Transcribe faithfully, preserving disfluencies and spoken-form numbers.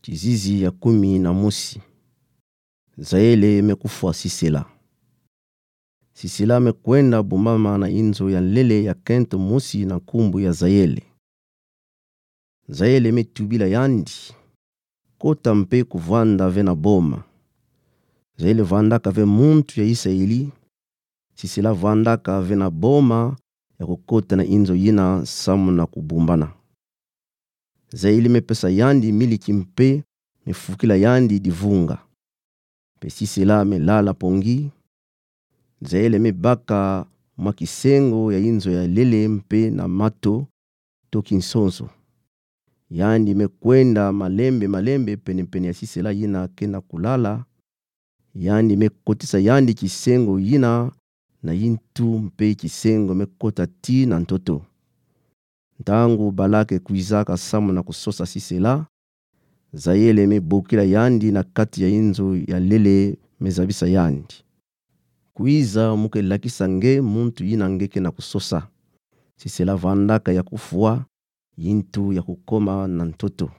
Tizizi ya kumi na mosi. Zaele me kufwa Sisela. Sisela me kwenda bumbama na inzo ya nlele ya kento mosi na nkumbu ya Zaele. Zaele me tubila yandi: Kota mpe kuvanda ve na boma. Zaele vandaka ve muntu ya Isaeli. Sisela vandaka ve na boma ya kukota na inzo yina samu na kubumbana. Zaele me pesa yandi miliki mpe me fukila yandi divunga. Mpe Sisela me lala pongi. Zaele me baka mwa kisengo ya inzo ya nlele mpe na mato to kinsonso. Yandi me kwenda malembe malembe pene-pene ya Sisela yina ke na kulala. Yandi me kotisa yandi kisengo yina na yintu, mpe kisengo me kota tii na ntoto. Ntangu bala ke kwizaka samu na kusosa Sisela, Zaele me bokila yandi na kati ya inzo ya nlele, me zabisa yandi: Kwiza mo ke lakisa nge muntu yina nge ke na kusosa. Sisela vandaka ya kufwa yintu ya kukoma na ntoto.